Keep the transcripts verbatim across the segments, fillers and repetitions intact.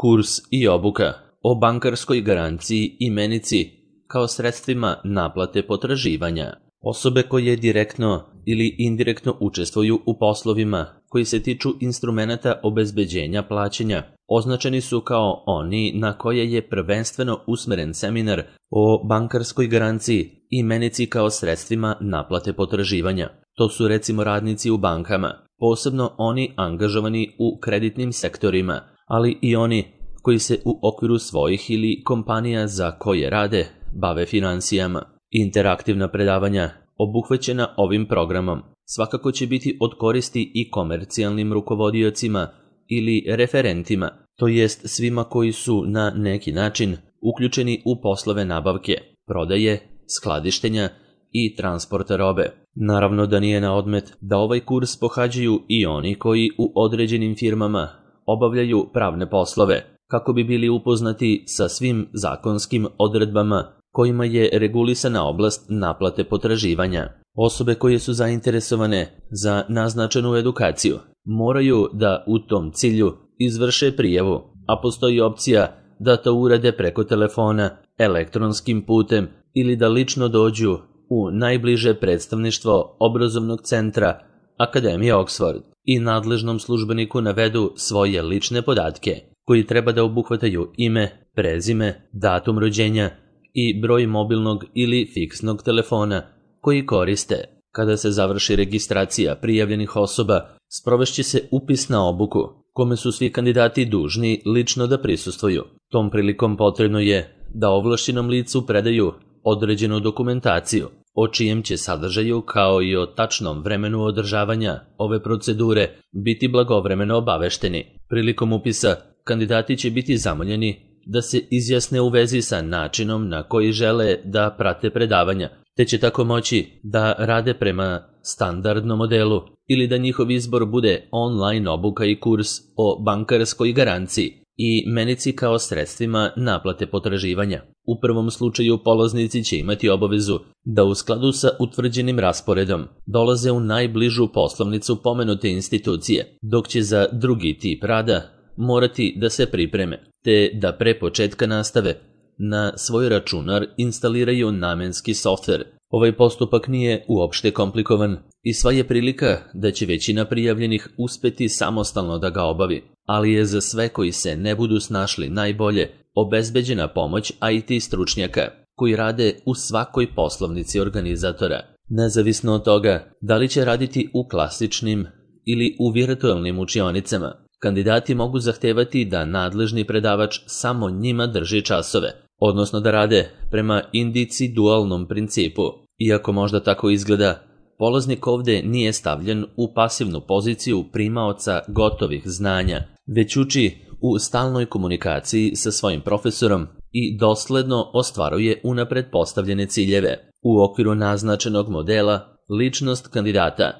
Kurs i obuka o bankarskoj garanciji i menici kao sredstvima naplate potraživanja. Osobe koje direktno ili indirektno učestvuju u poslovima koji se tiču instrumenata obezbeđenja plaćanja označeni su kao oni na koje je prvenstveno usmeren seminar o bankarskoj garanciji i menici kao sredstvima naplate potraživanja. To su recimo radnici u bankama, posebno oni angažovani u kreditnim sektorima, ali i oni koji se u okviru svojih ili kompanija za koje rade bave finansijama. Interaktivna predavanja obuhvaćena ovim programom svakako će biti od koristi i komercijalnim rukovodiocima ili referentima, to jest svima koji su na neki način uključeni u poslove nabavke, prodaje, skladištenja i transporta robe. Naravno da nije na odmet da ovaj kurs pohađaju i oni koji u određenim firmama obavljaju pravne poslove, kako bi bili upoznati sa svim zakonskim odredbama kojima je regulisana oblast naplate potraživanja. Osobe koje su zainteresovane za naznačenu edukaciju moraju da u tom cilju izvrše prijavu, a postoji opcija da to urade preko telefona, elektronskim putem ili da lično dođu u najbliže predstavništvo obrazovnog centra Akademije Oxford i nadležnom službeniku navedu svoje lične podatke koji treba da obuhvataju ime, prezime, datum rođenja i broj mobilnog ili fiksnog telefona koji koriste. Kada se završi registracija prijavljenih osoba, sprovešće se upis na obuku, kome su svi kandidati dužni lično da prisustvuju. Tom prilikom potrebno je da ovlašćenom licu predaju određenu dokumentaciju, o čijem će sadržaju kao i o tačnom vremenu održavanja ove procedure biti blagovremeno obavešteni. Prilikom upisa kandidati će biti zamoljeni da se izjasne u vezi sa načinom na koji žele da prate predavanja, te će tako moći da rade prema standardnom modelu ili da njihov izbor bude online obuka i kurs o bankarskoj garanciji i menici kao sredstvima naplate potraživanja. U prvom slučaju polaznici će imati obavezu da u skladu sa utvrđenim rasporedom dolaze u najbližu poslovnicu pomenute institucije, dok će za drugi tip rada morati da se pripreme, te da pre početka nastave na svoj računar instaliraju namenski softver. Ovaj postupak nije uopšte komplikovan i sva je prilika da će većina prijavljenih uspeti samostalno da ga obavi, ali je za sve koji se ne budu snašli najbolje obezbeđena pomoć I T stručnjaka koji rade u svakoj poslovnici organizatora. Nezavisno od toga da li će raditi u klasičnim ili u virtualnim učionicama, kandidati mogu zahtevati da nadležni predavač samo njima drži časove, odnosno da rade prema individualnom principu. Iako možda tako izgleda, polaznik ovde nije stavljen u pasivnu poziciju primaoca gotovih znanja, već uči u stalnoj komunikaciji sa svojim profesorom i dosledno ostvaruje unapred postavljene ciljeve. U okviru naznačenog modela, ličnost kandidata,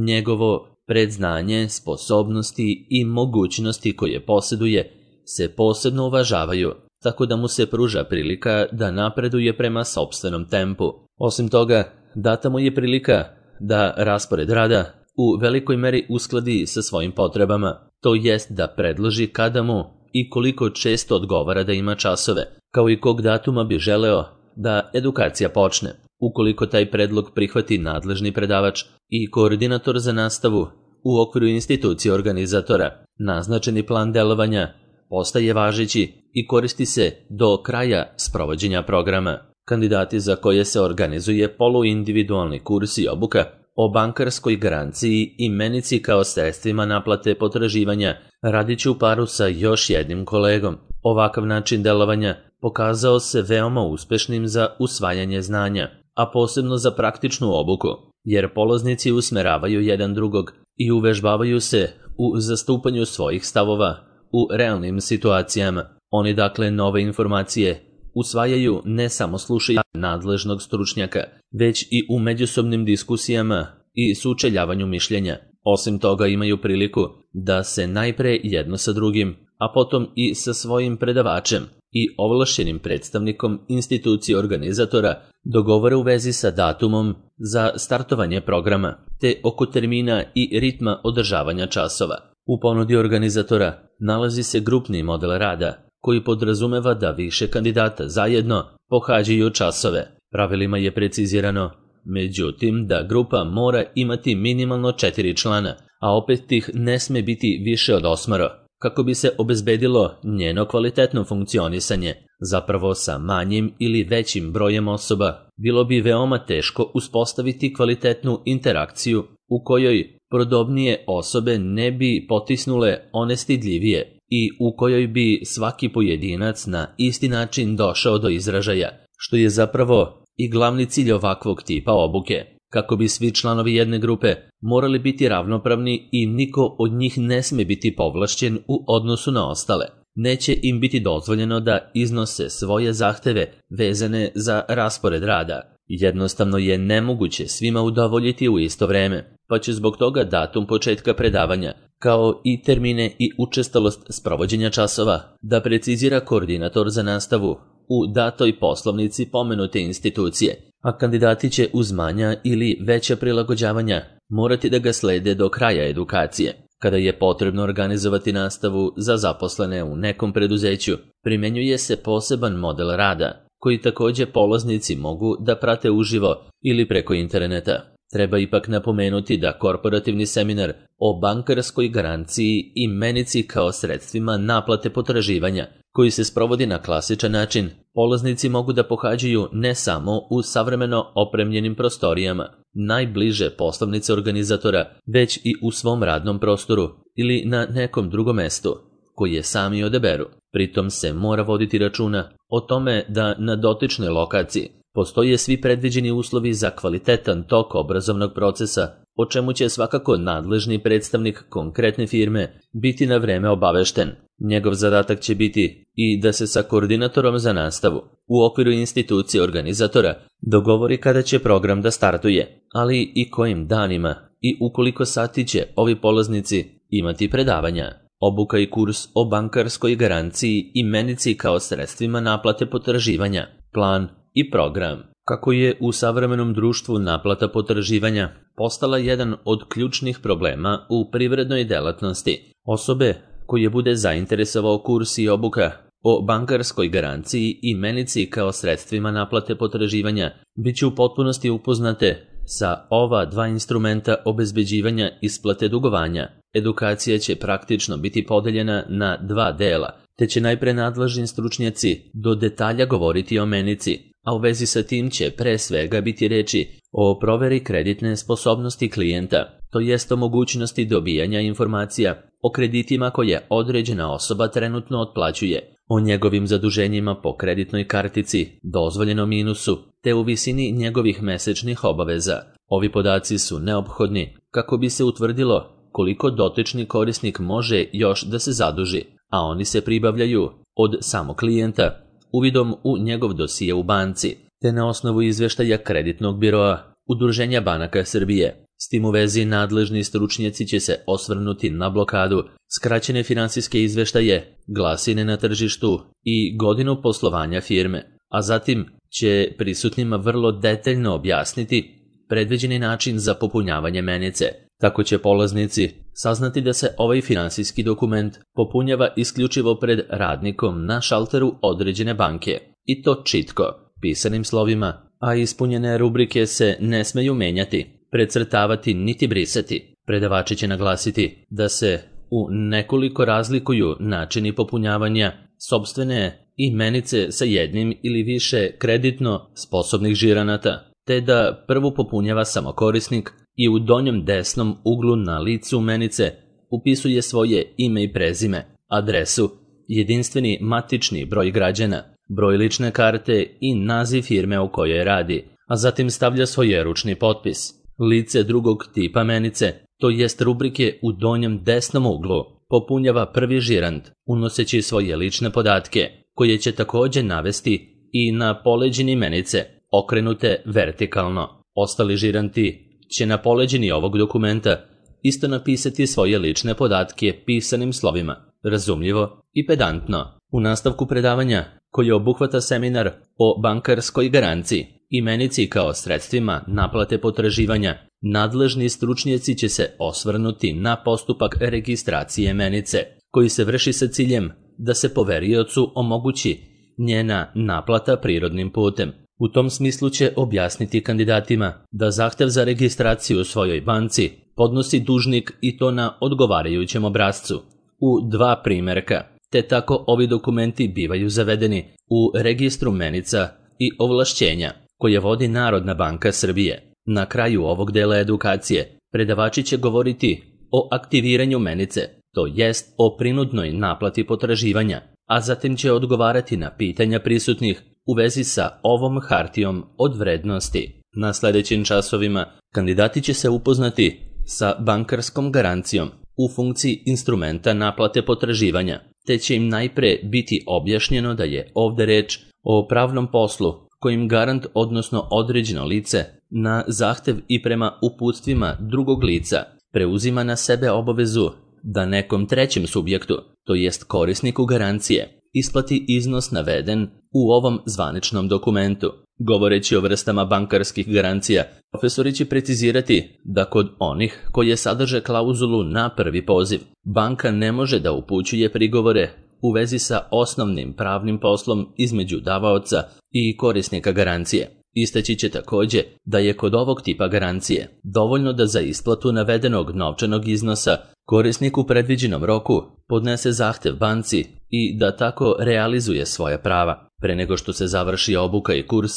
njegovo predznanje, sposobnosti i mogućnosti koje posjeduje se posebno uvažavaju, tako da mu se pruža prilika da napreduje prema sopstvenom tempu. Osim toga, data mu je prilika da raspored rada u velikoj meri uskladi sa svojim potrebama, to jest da predloži kada mu i koliko često odgovara da ima časove, kao i kog datuma bi želeo da edukacija počne. Ukoliko taj predlog prihvati nadležni predavač i koordinator za nastavu u okviru institucije organizatora, naznačeni plan delovanja postaje važeći i koristi se do kraja sprovođenja programa. Kandidati za koje se organizuje poluindividualni kurs i obuka o bankarskoj garanciji i menici kao sredstvima naplate potraživanja radit će u paru sa još jednim kolegom. Ovakav način delovanja pokazao se veoma uspešnim za usvajanje znanja, a posebno za praktičnu obuku, jer polaznici usmeravaju jedan drugog i uvežbavaju se u zastupanju svojih stavova u realnim situacijama. Oni dakle nove informacije usvajaju ne samo slušajući nadležnog stručnjaka, već i u međusobnim diskusijama i sučeljavanju mišljenja. Osim toga imaju priliku da se najpre jedno sa drugim, a potom i sa svojim predavačem i ovlašćenim predstavnikom institucije organizatora dogovore u vezi sa datumom za startovanje programa, te oko termina i ritma održavanja časova. U ponudi organizatora nalazi se grupni model rada, koji podrazumeva da više kandidata zajedno pohađaju časove. Pravilima je precizirano, međutim, da grupa mora imati minimalno četiri člana, a opet ih ne sme biti više od osmoro, kako bi se obezbedilo njeno kvalitetno funkcionisanje. Zapravo sa manjim ili većim brojem osoba bilo bi veoma teško uspostaviti kvalitetnu interakciju u kojoj podobnije osobe ne bi potisnule one stidljivije i u kojoj bi svaki pojedinac na isti način došao do izražaja, što je zapravo i glavni cilj ovakvog tipa obuke, kako bi svi članovi jedne grupe morali biti ravnopravni i niko od njih ne sme biti povlašćen u odnosu na ostale. Neće im biti dozvoljeno da iznose svoje zahteve vezane za raspored rada. Jednostavno je nemoguće svima udovoljiti u isto vreme, pa će zbog toga datum početka predavanja, kao i termine i učestalost sprovođenja časova, da precizira koordinator za nastavu u datoj poslovnici pomenute institucije, a kandidati će uz manja ili veća prilagođavanja morati da ga slede do kraja edukacije. Kada je potrebno organizovati nastavu za zaposlene u nekom preduzeću, primenjuje se poseban model rada, koji takođe polaznici mogu da prate uživo ili preko interneta. Treba ipak napomenuti da korporativni seminar o bankarskoj garanciji i menici kao sredstvima naplate potraživanja, koji se sprovodi na klasičan način, polaznici mogu da pohađaju ne samo u savremeno opremljenim prostorijama, najbliže poslovnice organizatora, već i u svom radnom prostoru ili na nekom drugom mestu, koje sami odaberu. Pritom se mora voditi računa o tome da na dotičnoj lokaciji postoje svi predviđeni uslovi za kvalitetan tok obrazovnog procesa, o čemu će svakako nadležni predstavnik konkretne firme biti na vreme obavešten. Njegov zadatak će biti i da se sa koordinatorom za nastavu u okviru institucije organizatora dogovori kada će program da startuje, ali i kojim danima i u koliko sati će ovi polaznici imati predavanja. Obuka i kurs o bankarskoj garanciji i menici kao sredstvima naplate potraživanja, plan i program. Kako je u savremenom društvu naplata potraživanja postala jedan od ključnih problema u privrednoj delatnosti, osobe koje bude zainteresovao kurs i obuka o bankarskoj garanciji i menici kao sredstvima naplate potraživanja bit će u potpunosti upoznate sa ova dva instrumenta obezbeđivanja isplate dugovanja. Edukacija će praktično biti podeljena na dva dela, te će najpre nadležni stručnjaci do detalja govoriti o menici, a u vezi sa tim će pre svega biti reči o proveri kreditne sposobnosti klijenta, to jest o mogućnosti dobijanja informacija o kreditima koje određena osoba trenutno otplaćuje, o njegovim zaduženjima po kreditnoj kartici, dozvoljenom minusu, te u visini njegovih mesečnih obaveza. Ovi podaci su neophodni kako bi se utvrdilo koliko dotični korisnik može još da se zaduži, a oni se pribavljaju od samog klijenta uvidom u njegov dosije u banci, te na osnovu izveštaja kreditnog biroa Udruženja banaka Srbije. S tim u vezi nadležni stručnjaci će se osvrnuti na blokadu, skraćene finansijske izveštaje, glasine na tržištu i godinu poslovanja firme, a zatim će prisutnima vrlo detaljno objasniti predviđeni način za popunjavanje menice. Tako će polaznici saznati da se ovaj finansijski dokument popunjava isključivo pred radnikom na šalteru određene banke, i to čitko, pisanim slovima, a ispunjene rubrike se ne smeju menjati, precrtavati niti brisati. Predavači će naglasiti da se u nekoliko razlikuju načini popunjavanja sopstvene imenice sa jednim ili više kreditno sposobnih žiranata, te da prvu popunjava samo korisnik i u donjem desnom uglu na licu menice upisuje svoje ime i prezime, adresu, jedinstveni matični broj građana, broj lične karte i naziv firme u kojoj radi, a zatim stavlja svoj ručni potpis. Lice drugog tipa menice, to jest rubrike u donjem desnom uglu, popunjava prvi žirant, unoseći svoje lične podatke, koje će takođe navesti i na poleđini menice, okrenute vertikalno. Ostali žiranti će na poleđini ovog dokumenta isto napisati svoje lične podatke pisanim slovima, razumljivo i pedantno. U nastavku predavanja, koje obuhvata seminar o bankarskoj garanciji i menici kao sredstvima naplate potraživanja, Nadležni stručnjaci će se osvrnuti na postupak registracije menice, koji se vrši sa ciljem da se poveriocu omogući njena naplata prirodnim putem. U tom smislu će objasniti kandidatima da zahtev za registraciju u svojoj banci podnosi dužnik i to na odgovarajućem obrascu u dva primjerka, te tako ovi dokumenti bivaju zavedeni u registru menica i ovlašćenja koje vodi Narodna banka Srbije. Na kraju ovog dela edukacije predavači će govoriti o aktiviranju menice, to jest o prinudnoj naplati potraživanja, a zatim će odgovarati na pitanja prisutnih u vezi sa ovom hartijom od vrednosti. Na sljedećim časovima kandidati će se upoznati sa bankarskom garancijom u funkciji instrumenta naplate potraživanja, te će im najpre biti objašnjeno da je ovdje reč o pravnom poslu kojim garant, odnosno određeno lice, na zahtev i prema uputstvima drugog lica preuzima na sebe obavezu da nekom trećem subjektu, to jest korisniku garancije, isplati iznos naveden u ovom zvaničnom dokumentu. Govoreći o vrstama bankarskih garancija, profesori će precizirati da kod onih koje sadrže klauzulu na prvi poziv, banka ne može da upućuje prigovore u vezi sa osnovnim pravnim poslom između davaoca i korisnika garancije. Istaći će također da je kod ovog tipa garancije dovoljno da za isplatu navedenog novčanog iznosa korisnik u predviđenom roku podnese zahtev banci i da tako realizuje svoja prava. Pre nego što se završi obuka i kurs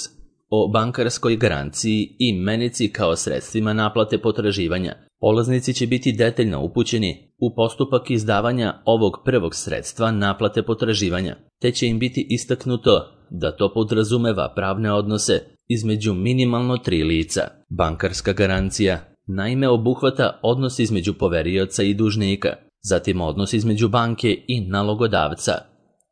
o bankarskoj garanciji i menici kao sredstvima naplate potraživanja, polaznici će biti detaljno upućeni u postupak izdavanja ovog prvog sredstva naplate potraživanja, te će im biti istaknuto da to podrazumeva pravne odnose između minimalno tri lica. Bankarska garancija naime obuhvata odnos između poverioca i dužnika, zatim odnos između banke i nalogodavca,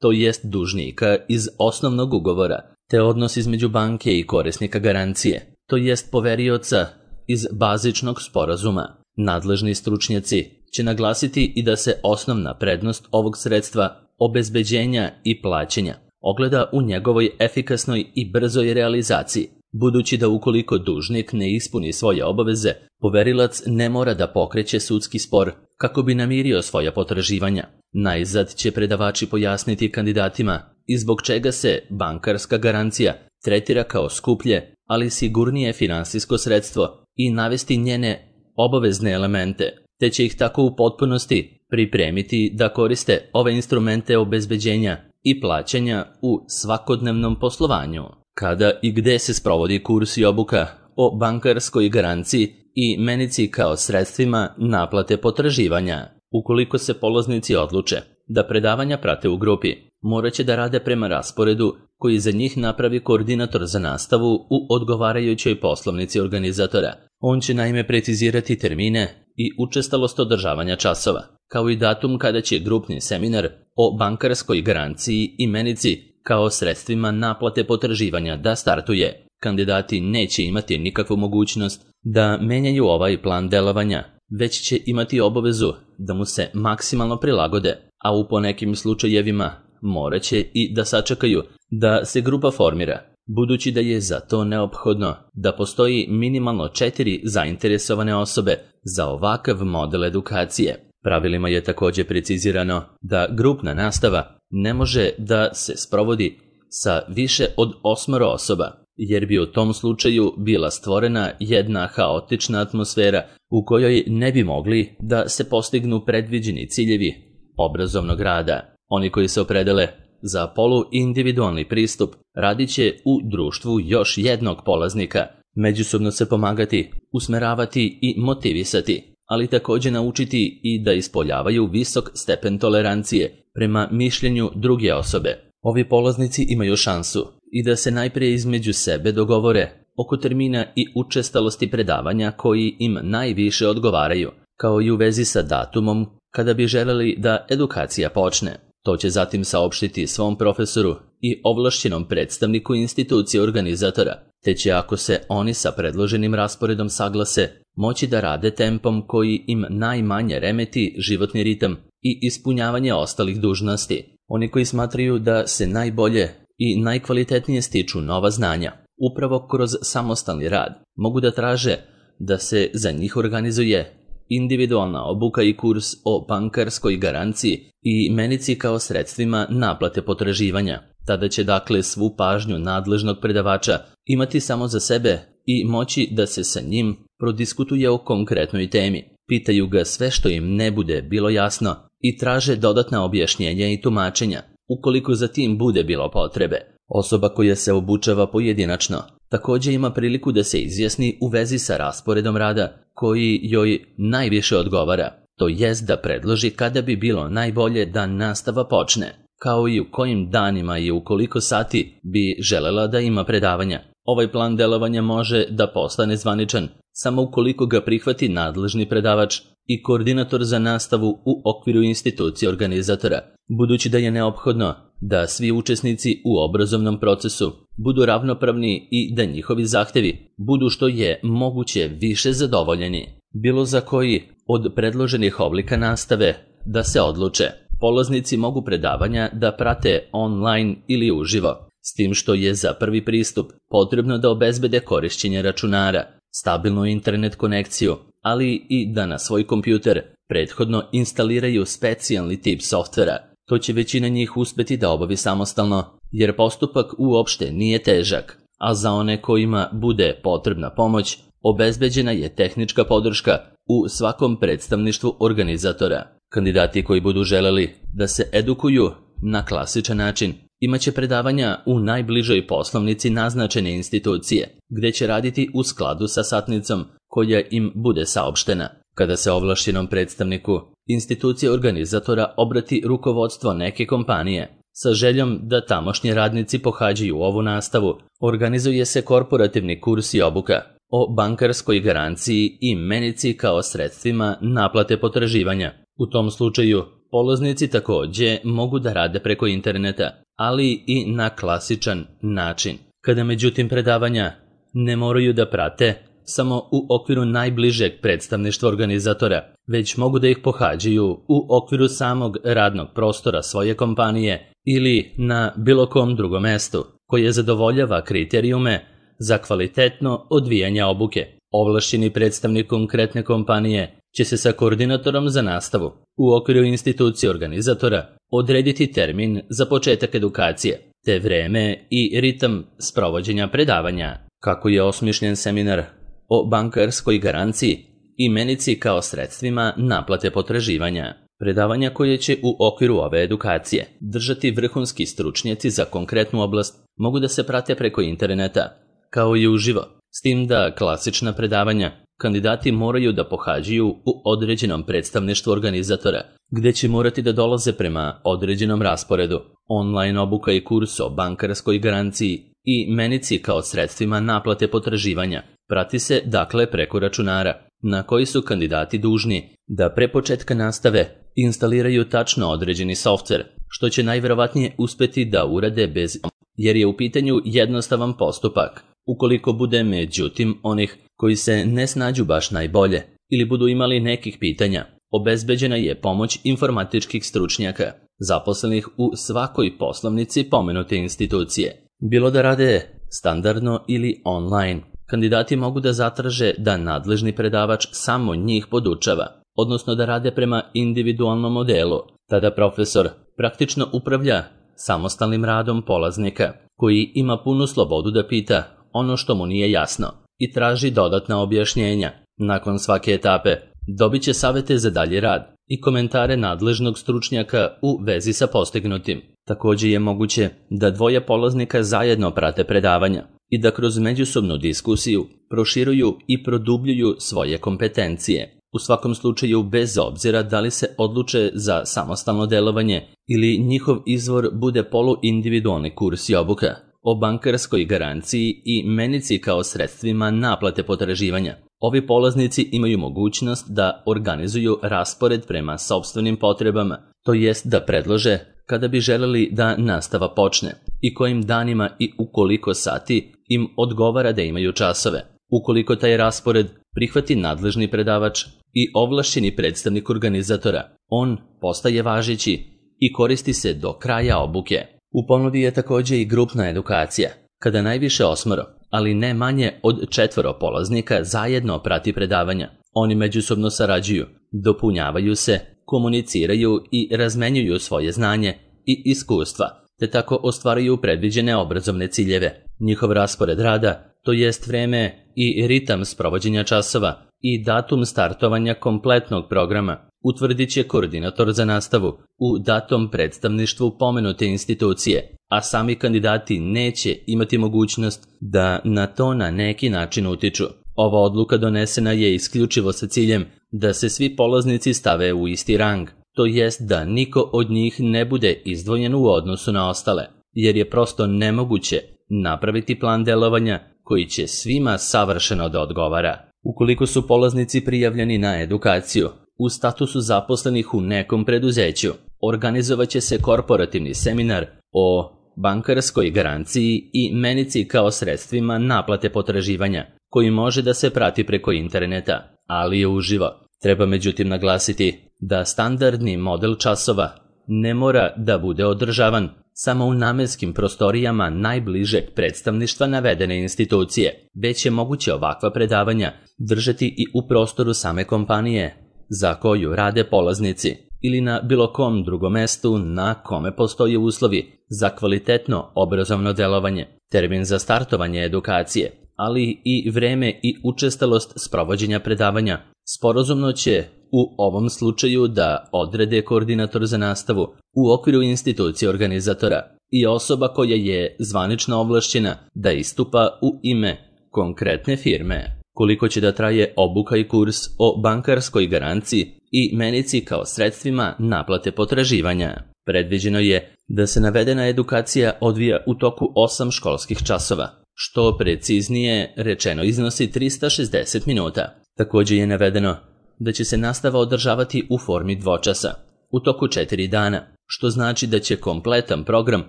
to jest dužnika iz osnovnog ugovora, te odnos između banke i korisnika garancije, to jest poverioca iz bazičnog sporazuma. Nadležni stručnjaci će naglasiti i da se osnovna prednost ovog sredstva obezbeđenja i plaćanja ogleda u njegovoj efikasnoj i brzoj realizaciji, budući da ukoliko dužnik ne ispuni svoje obaveze, poverilac ne mora da pokreće sudski spor kako bi namirio svoja potraživanja. Najzad će predavači pojasniti kandidatima i zbog čega se bankarska garancija tretira kao skuplje, ali sigurnije finansijsko sredstvo i navesti njene obavezne elemente, te će ih tako u potpunosti pripremiti da koriste ove instrumente obezbeđenja i plaćanja u svakodnevnom poslovanju. Kada i gde se sprovodi kurs i obuka o bankarskoj garanciji i menici kao sredstvima naplate potraživanja? Ukoliko se polaznici odluče da predavanja prate u grupi, morat će da rade prema rasporedu koji za njih napravi koordinator za nastavu u odgovarajućoj poslovnici organizatora. On će naime precizirati termine i učestalost održavanja časova, kao i datum kada će grupni seminar o bankarskoj garanciji i menici kao sredstvima naplate potraživanja da startuje. Kandidati neće imati nikakvu mogućnost da menjaju ovaj plan delovanja, već će imati obavezu da mu se maksimalno prilagode, a u ponekim slučajevima morat će i da sačekaju da se grupa formira, budući da je za to neophodno da postoji minimalno četiri zainteresovane osobe za ovakav model edukacije. Pravilima je također precizirano da grupna nastava ne može da se sprovodi sa više od osmoro osoba, jer bi u tom slučaju bila stvorena jedna haotična atmosfera u kojoj ne bi mogli da se postignu predviđeni ciljevi obrazovnog rada. Oni koji se opredele za poluindividualni pristup radit će u društvu još jednog polaznika, međusobno se pomagati, usmeravati i motivisati, ali također naučiti i da ispoljavaju visok stepen tolerancije prema mišljenju druge osobe. Ovi polaznici imaju šansu i da se najprije između sebe dogovore oko termina i učestalosti predavanja koji im najviše odgovaraju, kao i u vezi sa datumom kada bi želeli da edukacija počne. To će zatim saopštiti svom profesoru i ovlašćenom predstavniku institucije organizatora, te će, ako se oni sa predloženim rasporedom saglase, moći da rade tempom koji im najmanje remeti životni ritam i ispunjavanje ostalih dužnosti. Oni koji smatraju da se najbolje i najkvalitetnije stiču nova znanja, upravo kroz samostalni rad, mogu da traže da se za njih organizuje individualna obuka i kurs o bankarskoj garanciji i menici kao sredstvima naplate potraživanja. Tada će dakle svu pažnju nadležnog predavača imati samo za sebe i moći da se sa njim prodiskutuje o konkretnoj temi. Pitaju ga sve što im ne bude bilo jasno i traže dodatna objašnjenja i tumačenja, ukoliko za tim bude bilo potrebe. Osoba koja se obučava pojedinačno također ima priliku da se izjasni u vezi sa rasporedom rada koji joj najviše odgovara, to jest da predloži kada bi bilo najbolje da nastava počne, kao i u kojim danima i u koliko sati bi želela da ima predavanja. Ovaj plan delovanja može da postane zvaničan samo ukoliko ga prihvati nadležni predavač i koordinator za nastavu u okviru institucije organizatora, budući da je neophodno da svi učesnici u obrazovnom procesu budu ravnopravni i da njihovi zahtevi budu što je moguće više zadovoljeni. Bilo za koji od predloženih oblika nastave da se odluče. Polaznici mogu predavanja da prate online ili uživo, s tim što je za prvi pristup potrebno da obezbede korišćenje računara, stabilnu internet konekciju, ali i da na svoj kompjuter prethodno instaliraju specijalni tip softvera. To će većina njih uspeti da obavi samostalno, jer postupak uopšte nije težak, a za one kojima bude potrebna pomoć, obezbeđena je tehnička podrška u svakom predstavništvu organizatora. Kandidati koji budu želeli da se edukuju na klasičan način imaće predavanja u najbližoj poslovnici naznačene institucije, gde će raditi u skladu sa satnicom koja im bude saopštena. Kada se ovlašćenom predstavniku institucije organizatora obrati rukovodstvo neke kompanije sa željom da tamošnji radnici pohađaju ovu nastavu, organizuje se korporativni kurs i obuka o bankarskoj garanciji i menici kao sredstvima naplate potraživanja. U tom slučaju, polaznici također mogu da rade preko interneta, ali i na klasičan način. Kada međutim predavanja ne moraju da prate samo u okviru najbližeg predstavništva organizatora, već mogu da ih pohađaju u okviru samog radnog prostora svoje kompanije ili na bilo kom drugom mestu koje zadovoljava kriterijume za kvalitetno odvijanje obuke. Ovlašćeni predstavnik konkretne kompanije će se sa koordinatorom za nastavu u okviru institucije organizatora odrediti termin za početak edukacije, te vreme i ritam sprovođenja predavanja. Kako je osmišljen seminar o bankarskoj garanciji i menici kao sredstvima naplate potraživanja. Predavanja koje će u okviru ove edukacije držati vrhunski stručnjaci za konkretnu oblast mogu da se prate preko interneta, kao i uživo, s tim da klasična predavanja kandidati moraju da pohađaju u određenom predstavništvu organizatora, gde će morati da dolaze prema određenom rasporedu. Online obuka i kurs o bankarskoj garanciji i menici kao sredstvima naplate potraživanja prati se dakle preko računara, na koji su kandidati dužni da pre početka nastave instaliraju tačno određeni softver, što će najverovatnije uspeti da urade bez, jer je u pitanju jednostavan postupak. Ukoliko bude međutim onih koji se ne snađu baš najbolje ili budu imali nekih pitanja, obezbeđena je pomoć informatičkih stručnjaka, zaposlenih u svakoj poslovnici pomenute institucije. Bilo da rade standardno ili online, kandidati mogu da zatraže da nadležni predavač samo njih podučava, odnosno da rade prema individualnom modelu. Tada profesor praktično upravlja samostalnim radom polaznika, koji ima punu slobodu da pita ono što mu nije jasno i traži dodatna objašnjenja. Nakon svake etape dobit će savete za dalji rad i komentare nadležnog stručnjaka u vezi sa postignutim. Također je moguće da dvoje polaznika zajedno prate predavanja i da kroz međusobnu diskusiju proširuju i produbljuju svoje kompetencije. U svakom slučaju, bez obzira da li se odluče za samostalno delovanje ili njihov izvor bude poluindividualni kurs i obuka o bankarskoj garanciji i menici kao sredstvima naplate potraživanja. Ovi polaznici imaju mogućnost da organizuju raspored prema sopstvenim potrebama, to jest da predlože kada bi želeli da nastava počne i kojim danima i u koliko sati im odgovara da imaju časove. Ukoliko taj raspored prihvati nadležni predavač i ovlašćeni predstavnik organizatora, on postaje važeći i koristi se do kraja obuke. U ponudi je također i grupna edukacija, kada najviše osmoro, ali ne manje od četvoro polaznika zajedno prati predavanja. Oni međusobno sarađuju, dopunjavaju se, komuniciraju i razmenjuju svoje znanje i iskustva, te tako ostvaruju predviđene obrazovne ciljeve. Njihov raspored rada, to jest vreme i ritam sprovođenja časova i datum startovanja kompletnog programa, utvrdit će koordinator za nastavu u datom predstavništvu pomenute institucije, a sami kandidati neće imati mogućnost da na to na neki način utiču. Ova odluka donesena je isključivo sa ciljem da se svi polaznici stave u isti rang, to jest da niko od njih ne bude izdvojen u odnosu na ostale, jer je prosto nemoguće napraviti plan delovanja koji će svima savršeno da odgovara. Ukoliko su polaznici prijavljeni na edukaciju u statusu zaposlenih u nekom preduzeću, organizovaće se korporativni seminar o bankarskoj garanciji i menici kao sredstvima naplate potraživanja, koji može da se prati preko interneta, ali je uživo. Treba međutim naglasiti da standardni model časova ne mora da bude održavan samo u namenskim prostorijama najbližeg predstavništva navedene institucije, već je moguće ovakva predavanja držati i u prostoru same kompanije za koju rade polaznici ili na bilo kom drugom mestu na kome postoje uslovi za kvalitetno obrazovno delovanje. Termin za startovanje edukacije, ali i vreme i učestalost sprovođenja predavanja sporazumno će u ovom slučaju da odrede koordinator za nastavu u okviru institucije organizatora i osoba koja je zvanično ovlašćena da istupa u ime konkretne firme. Koliko će da traje obuka i kurs o bankarskoj garanciji i menici kao sredstvima naplate potraživanja? Predviđeno je da se navedena edukacija odvija u toku osam školskih časova, što preciznije rečeno iznosi trista šezdeset minuta. Također je navedeno da će se nastava održavati u formi dvočasa, u toku četiri dana, što znači da će kompletan program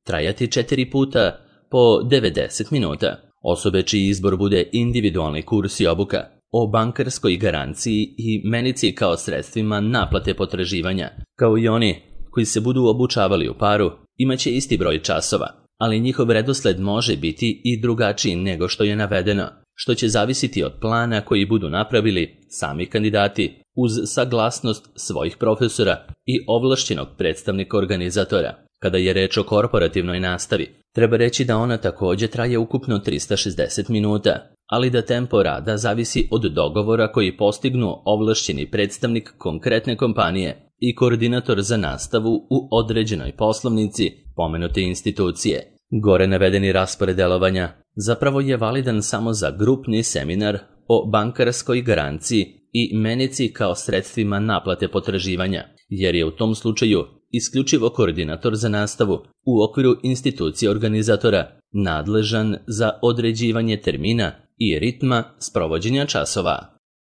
trajati četiri puta po devedeset minuta. Osobe čiji izbor bude individualni kurs i obuka o bankarskoj garanciji i menici kao sredstvima naplate potraživanja, kao i oni koji se budu obučavali u paru, imaće isti broj časova, ali njihov redosled može biti i drugačiji nego što je navedeno, što će zavisiti od plana koji budu napravili sami kandidati uz saglasnost svojih profesora i ovlašćenog predstavnika organizatora. Kada je reč o korporativnoj nastavi, treba reći da ona također traje ukupno trista šezdeset minuta, ali da tempo rada zavisi od dogovora koji postignu ovlašćeni predstavnik konkretne kompanije i koordinator za nastavu u određenoj poslovnici pomenute institucije. Gore navedeni raspored delovanja zapravo je validan samo za grupni seminar o bankarskoj garanciji i menici kao sredstvima naplate potraživanja, jer je u tom slučaju isključivo koordinator za nastavu u okviru institucije organizatora nadležan za određivanje termina i ritma sprovođenja časova.